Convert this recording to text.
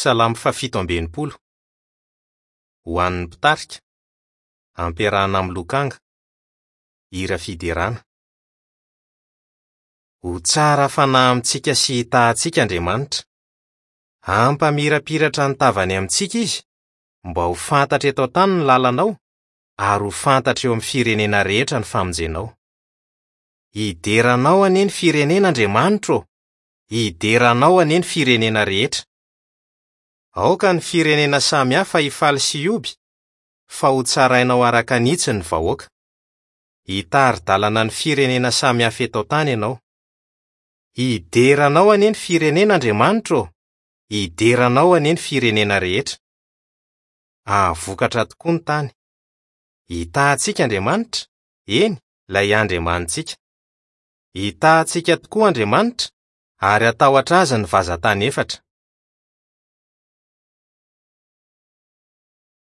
Salamo faha-67. Ho an'ny mpitarika. Ampiarahana amin'ny lokanga. Hira fiderana. Ho tsara fanahy amintsika sy hitaha antsika Andriamanitra. Hampamirapiratra ny tavany amintsika Izy, mba ho fantatra eto an-tany ny lalanao, ary ho fantatra eo amin'ny firenena rehetra ny famonjenao. Hidera Anao anie ny firenena, Andriamanitro ô! Hidera Anao anie ny firenena rehetra. Aoka ny firenena samy hafa hifaly sy hihoby, fa hotsarainao araka ny hitsiny ny vahoaka. Hitari-dalana ny firenena samy hafa eto an-tany Ianao. Hidera Anao anie ny firenena, Andriamanitro ô! Hidera Anao anie ny firenena rehetra. Hahavokatra tokoa ny tany. Hitaha antsika Andriamanitra, eny, ilay Andriamanitsika. Hitaha antsika tokoa Andriamanitra, ary hatahotra Azy ny vazan-tany efatra.